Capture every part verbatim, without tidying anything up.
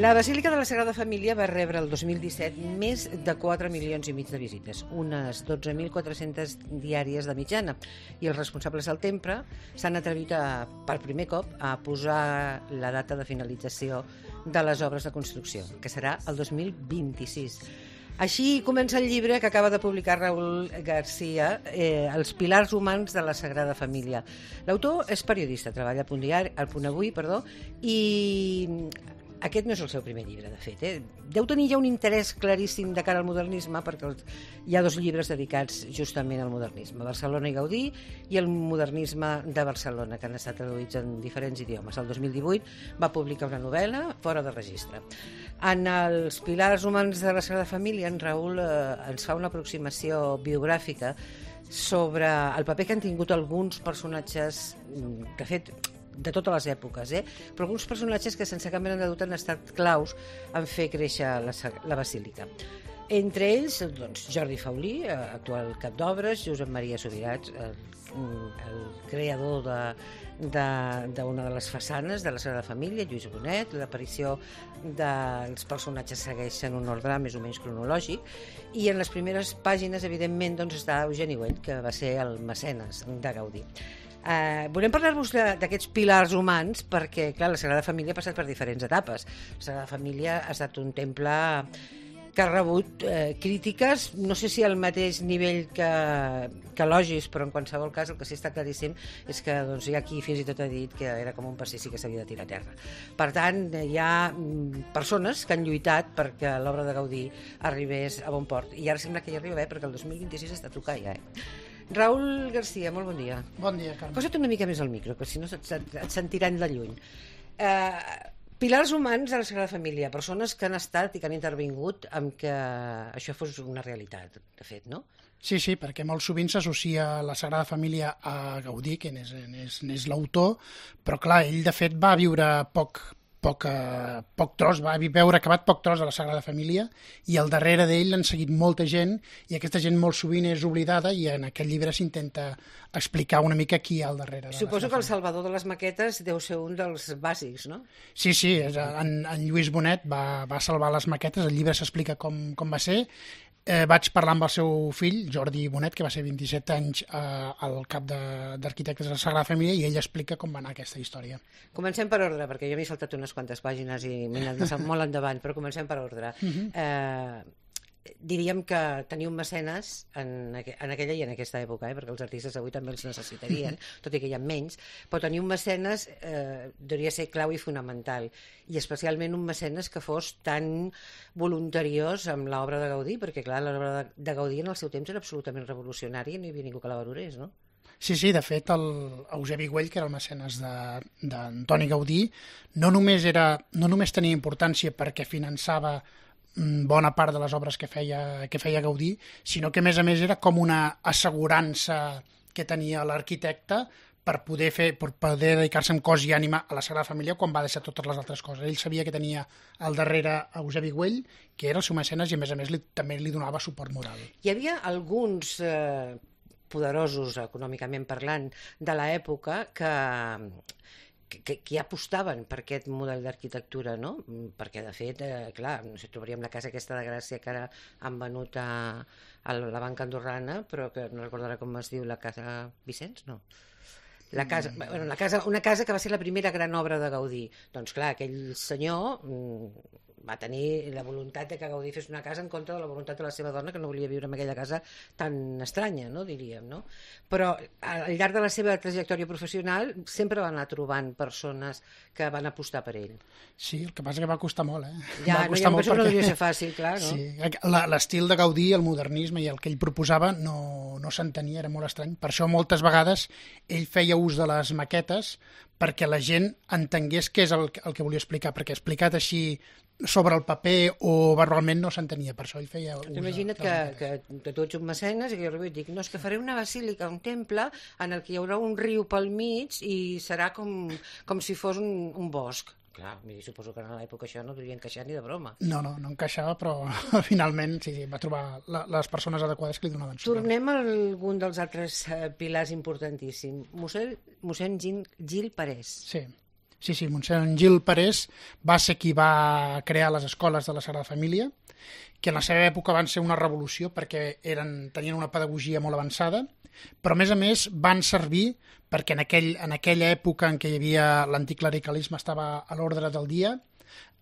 La Basílica de la Sagrada Família va rebre el dos mil disset més de quatre milions i mig de visites, unes dotze mil quatre-centes diàries de mitjana, i els responsables del temple s'han atrevit a, per primer cop a posar la data de finalització de les obres de construcció, que serà el dos mil vint-i-sis. Així comença el llibre que acaba de publicar Raúl García, eh, Els pilars humans de la Sagrada Família. L'autor és periodista, treballa al Punt Diari, al Punt Avui, perdó, i aquest no és el seu primer llibre, de fet. Eh? Deu tenir ja un interès claríssim de cara al modernisme, perquè hi ha dos llibres dedicats justament al modernisme, Barcelona i Gaudí i el modernisme de Barcelona, que han estat traduïts en diferents idiomes. El dos mil divuit va publicar una novel·la, Fora de registre. En els pilars humans de la Sagrada Família, en Raül eh, ens fa una aproximació biogràfica sobre el paper que han tingut alguns personatges, de fet, de totes les èpoques, eh? però alguns personatges que sense cap mena de dubte han estat claus en fer créixer la, la basílica. Entre ells, doncs, Jordi Faulí, actual cap d'obres, Josep Maria Subirats, el, el creador de d'una de, de, de les façanes de la Sagrada Família, Lluís Bonet, l'aparició dels personatges segueixen un ordre més o menys cronològic, i en les primeres pàgines, evidentment, doncs, està Eugeni Güell, que va ser el mecenes de Gaudí. Uh, volem parlar-vos d'aquests pilars humans perquè, clar, la Sagrada Família ha passat per diferents etapes. La Sagrada Família ha estat un temple que ha rebut eh, crítiques, no sé si al mateix nivell que, que elogis, però en qualsevol cas el que sí està claríssim és que doncs, hi ha qui fins i tot ha dit que era com un pastissi que s'havia de tirar a terra. Per tant, hi ha mm, persones que han lluitat perquè l'obra de Gaudí arribés a bon port, i ara sembla que hi arriba bé, perquè el dos mil vint-i-sis està a tocar ja. Eh? Raúl García, molt bon dia. Bon dia, Carme. Posa't una mica més al micro, que si no et, et sentiran de lluny. Eh... Pilars humans de la Sagrada Família, persones que han estat i que han intervingut amb que això fos una realitat, de fet, no? Sí, sí, perquè molt sovint s'associa la Sagrada Família a Gaudí, que n'és, n'és, n'és l'autor, però clar, ell de fet va viure poc, poc, eh, poc tros, va veure acabat poc tros de la Sagrada Família, i al darrere d'ell l'han seguit molta gent, i aquesta gent molt sovint és oblidada, i en aquest llibre s'intenta explicar una mica qui hi ha al darrere. Suposo que el salvador de les maquetes deu ser un dels bàsics, no? Sí, sí, en, en Lluís Bonet va, va salvar les maquetes, el llibre s'explica com, com va ser. Eh, vaig parlar amb el seu fill, Jordi Bonet, que va ser vint-i-set anys eh, al cap d'arquitectes de, de la Sagrada Família, i ell explica com va anar aquesta història. Comencem per ordre, perquè jo m'he saltat unes quantes pàgines i m'he anat molt endavant, però comencem per ordre. Uh-huh. eh, diríem que teniu mecenes en, aqu en aquella i en aquesta època, eh, perquè els artistes avui també els necessitarien, tot i que hi ha menys, però tenir un mecenes eh, hauria ser clau i fonamental, i especialment un mecenes que fos tan voluntariós amb l'obra de Gaudí, perquè clar, l'obra de, de Gaudí en el seu temps era absolutament revolucionària i no hi havia ningú que la valorés, no? Sí, sí, de fet, el Eusebi Güell, que era el mecenes d'Antoni Gaudí, no només, era, no només tenia importància perquè finançava bona part de les obres que feia, que feia Gaudí, sinó que a més a més era com una assegurança que tenia l'arquitecte per poder fer, per poder dedicar-se amb cos i ànima a la Sagrada Família quan va deixar totes les altres coses. Ell sabia que tenia al darrere Eusebi Güell, que era el seu mecenes, i a més a més li, també li donava suport moral. Hi havia alguns eh, poderosos, econòmicament parlant, de l'època que... Que, que ja apostaven per aquest model d'arquitectura, no? Perquè, de fet, eh, clar, no sé, trobaríem la casa aquesta de Gràcia que ara han venut a, a la banca andorrana, però que no recordarà com es diu, la casa Vicenç, no? La casa, bueno, la casa, una casa que va ser la primera gran obra de Gaudí. Doncs clar, aquell senyor va tenir la voluntat de que Gaudí fes una casa en contra de la voluntat de la seva dona, que no volia viure en aquella casa tan estranya, no, diríem, no? Però al llarg de la seva trajectòria professional sempre va anar trobant persones que van apostar per ell. Sí, el que passa que va costar molt, eh? Ja, va no, ja em penso perquè... que no devia ser fàcil, clar, no? Sí, l'estil de Gaudí, el modernisme i el que ell proposava no, no s'entenia, era molt estrany. Per això moltes vegades ell feia ús de les maquetes perquè la gent entengués què és el, el que volia explicar, perquè explicat així sobre el paper o verbalment no s'entenia, per això ell feia ús. Imagina't que, que, que tu ets un mecenes i que jo arribo i dic, no, és que faré una basílica, un temple en el que hi haurà un riu pel mig i serà com, com si fos un, un bosc. Clar, suposo que en l'època això no devia encaixar ni de broma. No, no, no encaixava, però finalment sí, sí, va trobar la, les persones adequades que li donaven suport. Tornem a algun dels altres uh, pilars importantíssims. Mossèn, mossèn Gil, Gil Parés. Sí. Sí, sí, Montserrat Gil Parés va ser qui va crear les escoles de la Sagrada Família, que en la seva època van ser una revolució perquè eren, tenien una pedagogia molt avançada, però a més a més van servir perquè en, aquell, en aquella època en què hi havia l'anticlericalisme estava a l'ordre del dia,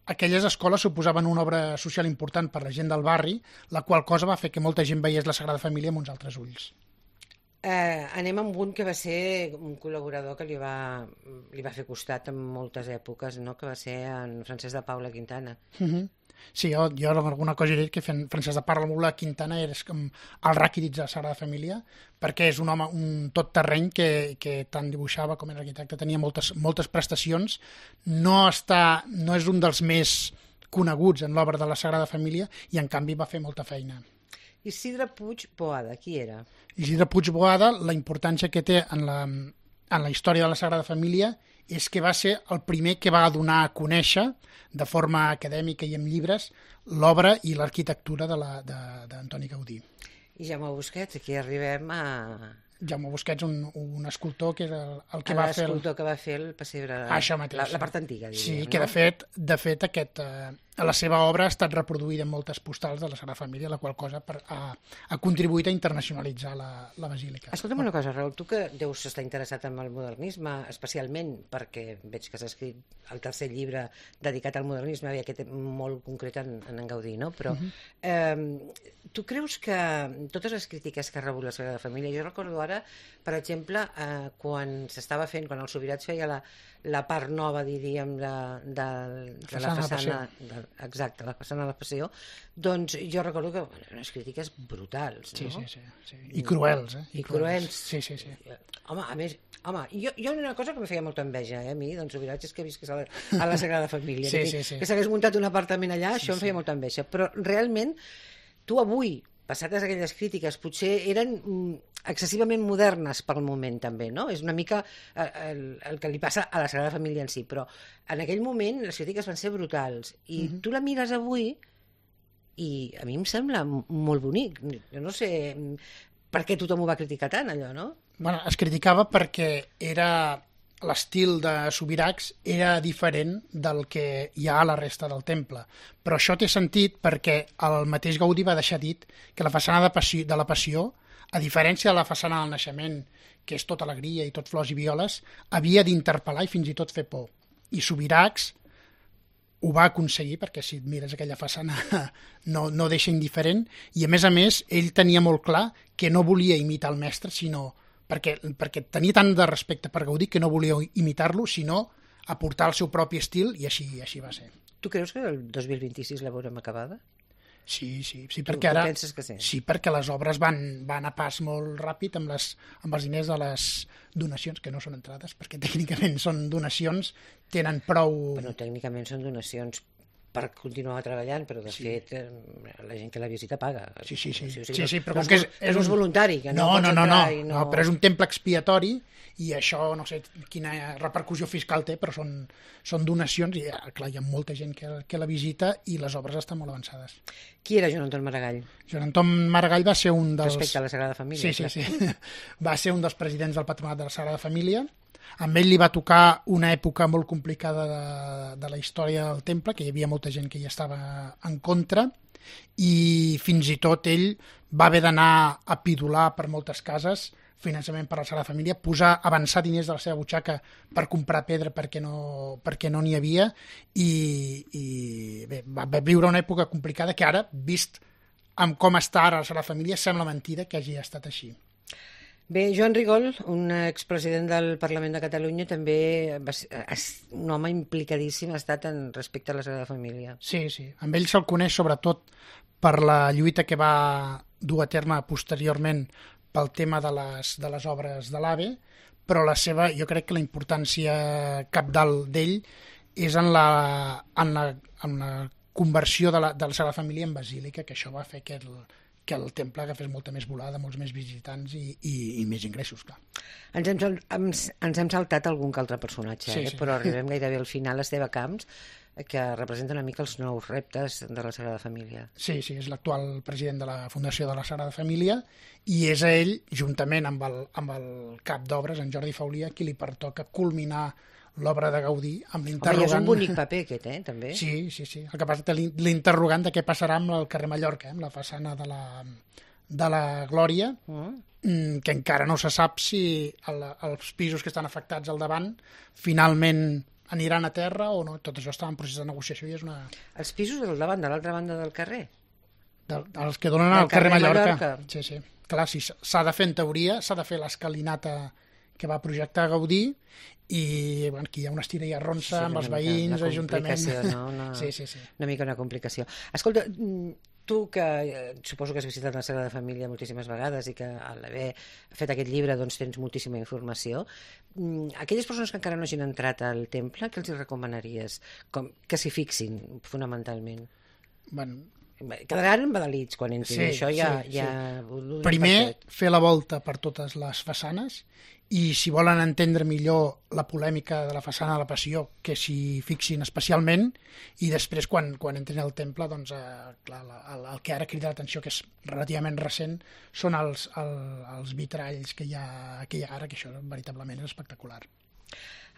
aquelles escoles suposaven una obra social important per la gent del barri, la qual cosa va fer que molta gent veiés la Sagrada Família amb uns altres ulls. Eh, anem amb un que va ser un col·laborador que li va, li va fer costat en moltes èpoques, no? Que va ser en Francesc de Paula Quintana. Uh-huh. Sí, jo, jo alguna cosa he dit que Francesc de Paula Quintana és com el Ràquidits de la Sagrada Família, perquè és un home, un tot terreny que, que tant dibuixava com era arquitecte, tenia moltes, moltes prestacions, no, està, no és un dels més coneguts en l'obra de la Sagrada Família i en canvi va fer molta feina. Isidre Puig Boada, qui era? Isidre Puig Boada, la importància que té en la, en la història de la Sagrada Família és que va ser el primer que va donar a conèixer de forma acadèmica i amb llibres l'obra i l'arquitectura d'Antoni Gaudí. I Jaume Busquets, aquí arribem a... Jaume Busquets, un, un escultor que és el, el que el va fer... L'escultor que va fer el pessebre... Això mateix. La, la part antiga, diríem. Sí, no? que de fet, de fet aquest, eh, la seva obra ha estat reproduïda en moltes postals de la Sagrada Família, la qual cosa per, ha, ha contribuït a internacionalitzar la, la basílica. Escolta'm una cosa, Raül, tu que deus estar interessat en el modernisme, especialment perquè veig que s'ha escrit el tercer llibre dedicat al modernisme, i aquest molt concret en, en Gaudí, no? Però uh-huh. eh, tu creus que totes les crítiques que ha rebut la Sagrada Família, jo recordo ara, per exemple, eh, quan s'estava fent, quan el Subirats feia la, la part nova, diríem, de, de, de la façana, de, exacte, la façana de la Passió, doncs jo recordo que bueno, unes crítiques brutals, sí, no? Sí, sí, sí. I cruels, eh? I, I cruels. Sí, sí, sí. Home, a més, home, jo, jo una cosa que em feia molta enveja, eh, a mi, doncs Subirats, és que visqués a la, a la Sagrada Família, sí, que, sí, sí. que s'hagués muntat un apartament allà, sí, això em feia sí. molta enveja, però realment tu avui, passades aquelles crítiques, potser eren mm, excessivament modernes pel moment també, no? És una mica el, el que li passa a la Sagrada Família en si, però en aquell moment les crítiques van ser brutals i uh-huh. tu la mires avui i a mi em sembla molt bonic. Jo no sé per què tothom ho va criticar tant, allò, no? Bueno, es criticava perquè era... l'estil de Subirachs era diferent del que hi ha a la resta del temple. Però això té sentit perquè el mateix Gaudí va deixar dit que la façana de, passió, de la Passió, a diferència de la façana del Naixement, que és tot alegria i tot flors i violes, havia d'interpel·lar i fins i tot fer por. I Subirachs ho va aconseguir, perquè si et mires aquella façana no, no deixa indiferent, i a més a més ell tenia molt clar que no volia imitar el mestre, sinó perquè, perquè tenia tant de respecte per Gaudí que no volia imitar-lo, sinó aportar el seu propi estil, i així, així va ser. Tu creus que el dos mil vint-i-sis la veurem acabada? Sí, sí, sí, tu, perquè ara... Tu penses que sí? Sí, perquè les obres van, van a pas molt ràpid amb, les, amb els diners de les donacions, que no són entrades, perquè tècnicament són donacions, tenen prou... Bueno, tècnicament són donacions per continuar treballant, però de sí. fet la gent que la visita paga. Sí, sí, sí. O sigui, sí, sí, però no, com que és, és un voluntari, que no, no pots no, no, entrar no, i no... no, però és un temple expiatori i això no sé quina repercussió fiscal té, però són, són donacions i clar, hi ha molta gent que, que la visita i les obres estan molt avançades. Qui era Joan Anton Maragall? Joan Anton Maragall va ser un dels... Respecte a la Sagrada Família. Sí, sí, sí. Va ser un dels presidents del Patronat de la Sagrada Família. Amb ell li va tocar una època molt complicada de, de la història del temple, que hi havia molta gent que hi estava en contra, i fins i tot ell va haver d'anar a pidolar per moltes cases, finançament per la Sagrada Família, posar, avançar diners de la seva butxaca per comprar pedra perquè no perquè no n'hi havia, i, i bé, va viure una època complicada que ara, vist amb com està ara la Sagrada Família, sembla mentida que hagi estat així. Bé, Joan Rigol, un expresident del Parlament de Catalunya, també va ser, un home implicadíssim ha estat en respecte a la Sagrada Família. Sí, sí. Amb ell se'l coneix sobretot per la lluita que va dur a terme posteriorment pel tema de les, de les obres de l'AVE, però la seva, jo crec que la importància cabdal d'ell és en la, en la, en la conversió de la, de la Sagrada Família en basílica, que això va fer que el, que el temple agafés molta més volada, molts més visitants i, i, i més ingressos, clar. Ens hem, ens, ens hem saltat algun que altre personatge, sí, eh? sí. Però arribem gairebé al final, Esteve Camps, que representa una mica els nous reptes de la Sagrada Família. Sí, sí, és l'actual president de la Fundació de la Sagrada Família i és a ell, juntament amb el, amb el cap d'obres, en Jordi Faulia, qui li pertoca culminar l'obra de Gaudí amb Home, i és l'interrogant... un bonic paper aquest, eh, també. Sí, sí, sí. El que passa és que l'in- l'interrogant de què passarà amb el carrer Mallorca, eh, amb la façana de la, de la Glòria, Mm. mm, que encara no se sap si el, els pisos que estan afectats al davant finalment aniran a terra o no. Tot això està en procés de negociació i és una... Els pisos del davant, de l'altra banda del carrer. De, els que donen Del al carrer carrer Mallorca. Mallorca. Sí, sí. Clar, si s'ha de fer en teoria, s'ha de fer l'escalinata que va projectar Gaudí i bueno, aquí hi ha una estira i arronsa Sí, amb una els mica veïns, una Ajuntament... complicació, no? Una- Sí, sí, sí. Una mica una complicació. Escolta, mm, tu que eh, suposo que has visitat la Sagrada Família moltíssimes vegades i que a l'haver fet aquest llibre doncs tens moltíssima informació, mm, aquelles persones que encara no hagin entrat al temple, què els hi recomanaries? Com, que s'hi fixin, fonamentalment. Bueno, Bé, quedaran embadalits quan entrin, Sí, això ja... sí, ja sí. ho donem primer, per fet. fer la volta per totes les façanes i si volen entendre millor la polèmica de la façana de la Passió, que s'hi fixin especialment i després quan, quan entrin al temple doncs, eh, clar, la, el, el que ara crida l'atenció, que és relativament recent, són els, el, els vitralls que hi, ha, que hi ha ara, que això veritablement és espectacular.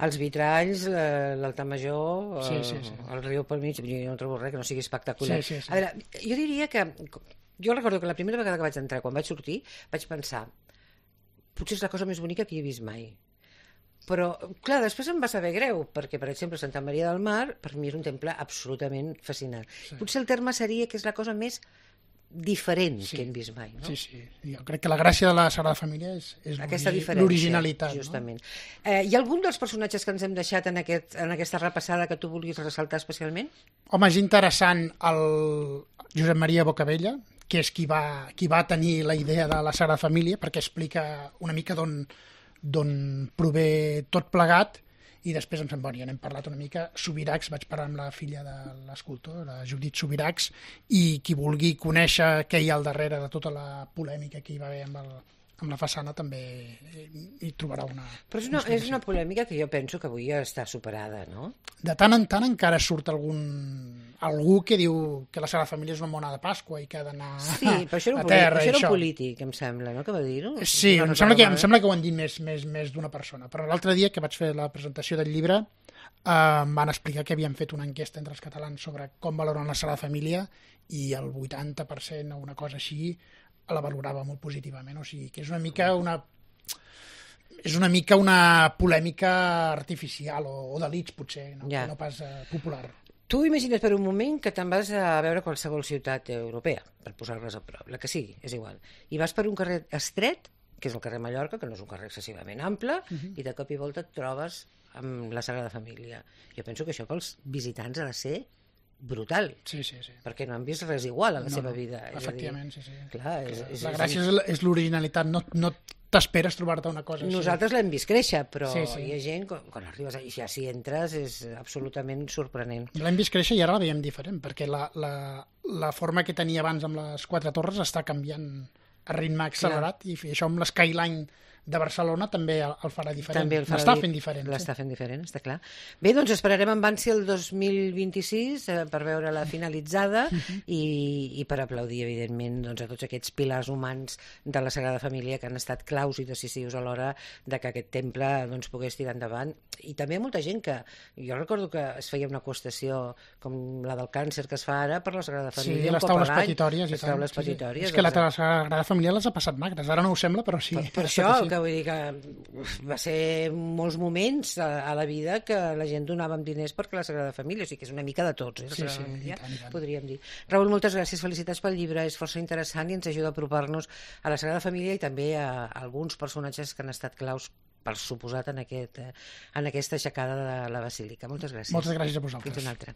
Els vitralls, eh, l'altar major, Sí, eh, sí, sí. el riu pel mig, jo no trobo res que no sigui espectacular. Sí, sí, sí. A veure, jo diria que... Jo recordo que la primera vegada que vaig entrar, quan vaig sortir, vaig pensar potser és la cosa més bonica que hi he vist mai. Però, clar, després em va saber greu, perquè, per exemple, Santa Maria del Mar, per mi és un temple absolutament fascinant. Sí. Potser el terme seria que és la cosa més diferent Sí. que hem vist mai, no? Sí, sí. Jo crec que la gràcia de la Sagrada Família és, és Aquesta l'ori- diferència, l'originalitat. justament. Eh, hi ha algun dels personatges que ens hem deixat en, aquest, en aquesta repassada que tu vulguis ressaltar especialment? No? Home, és interessant el Josep Maria Bocabella, que és qui va, qui va tenir la idea de la Sagrada Família, perquè explica una mica d'on d'on prové tot plegat, i després, em sembla, ja n'hem parlat una mica, Subirachs, vaig parlar amb la filla de l'escultor, la Judit Subirachs, i qui vulgui conèixer què hi ha al darrere de tota la polèmica que hi va haver amb, el, amb la façana també hi trobarà una... Però és una, és una polèmica que jo penso que avui ja està superada, no? De tant en tant encara surt algun algú que diu que la Sagrada Família és una mona de Pasqua i que ha d'anar Sí, però això era a un, terra. polític, això i era això. un polític, em sembla, no?, que va dir-ho. Sí, No em, recordo sembla que, em malament. sembla que ho han dit més, més, més d'una persona, però l'altre dia que vaig fer la presentació del llibre eh, em van explicar que havien fet una enquesta entre els catalans sobre com valoren la Sagrada Família i el vuitanta per cent o una cosa així la valorava molt positivament, o sigui que és una mica una és una mica una polèmica artificial o, o d'elits potser, no, Ja. no pas eh, popular. Tu imagina't per un moment que te'n vas a veure qualsevol ciutat europea, per posar-les a prop, la que sigui, és igual, i vas per un carrer estret, que és el carrer Mallorca, que no és un carrer excessivament ample, Mhm. i de cop i volta et trobes amb la Sagrada Família. Jo penso que això pels visitants ha de ser brutal, Sí, sí, sí. perquè no han vist res igual a la No, seva no, vida. És a dir, efectivament, sí, sí. clar, és, és, La és- gràcia és, l- és l'originalitat, no, no t'esperes trobar-te una cosa així. Nosaltres l'hem vist créixer, però Sí, sí. hi ha gent, quan, quan arribes i ja si entres, és absolutament sorprenent. L'hem vist créixer i ara la veiem diferent, perquè la, la, la forma que tenia abans amb les quatre torres està canviant a ritme accelerat, i això amb l'Skyline de Barcelona també el, el farà diferent. També el farà L'està di- fent diferent. L'està fent diferent, està clar. Bé, doncs esperarem amb ànsia el dos mil vint-i-sis eh, per veure-la finalitzada i, i per aplaudir, evidentment, doncs, a tots aquests pilars humans de la Sagrada Família que han estat claus i decisius a l'hora de que aquest temple doncs, pogués tirar endavant. I també hi ha molta gent que... Jo recordo que es feia una qüestió com la del càncer que es fa ara per la Sagrada Sí, Família. un les cop a taules l'any, petitòries. i Les tant, taules sí, sí. petitòries. És que la, doncs, la Sagrada Família les ha passat magres. Ara no ho sembla, però sí. Per, per ha estat això, així. que vull dir que uf, va ser molts moments a, a la vida que la gent donàvem diners perquè la Sagrada Família, o sigui que és una mica de tots, eh, la Sí, Sagrada sí, Família, i tant, i tant. podríem dir. Raül, moltes gràcies, felicitats pel llibre, és força interessant i ens ajuda a apropar-nos a la Sagrada Família i també a, a alguns personatges que han estat claus, per suposat, en, aquest, eh, en aquesta aixecada de la Basílica. Moltes gràcies. Moltes gràcies a vosaltres. Fins una altra.